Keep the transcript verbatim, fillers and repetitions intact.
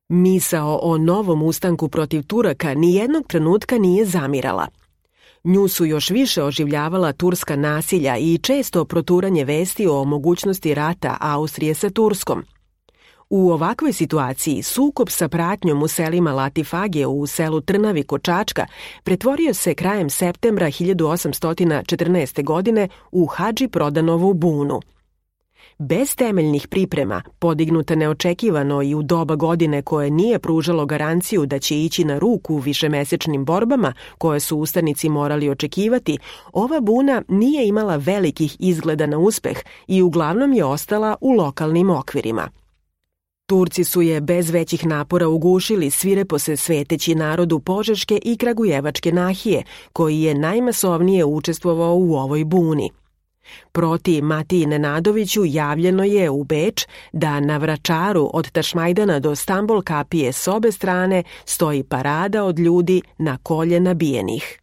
Misao o novom ustanku protiv Turaka nijednog trenutka nije zamirala. Nju su još više oživljavala turska nasilja i često proturanje vesti o mogućnosti rata Austrije sa Turskom. U ovakvoj situaciji sukob sa pratnjom u selima Latifagije u selu Trnavi kod Čačka pretvorio se krajem septembra hiljadu osamsto četrnaeste. godine u Hadži Prodanovu bunu. Bez temeljnih priprema, podignuta neočekivano i u doba godine koje nije pružalo garanciju da će ići na ruku višemesečnim borbama koje su ustanici morali očekivati, ova buna nije imala velikih izgleda na uspeh i uglavnom je ostala u lokalnim okvirima. Turci su je bez većih napora ugušili, svirepo se sveteći narodu Požeške i Kragujevačke nahije, koji je najmasovnije učestvovao u ovoj buni. Proti Matiji Nenadoviću javljeno je u Beč da na Vračaru od Tašmajdana do Stambol kapije s obe strane stoji parada od ljudi na kolje nabijenih.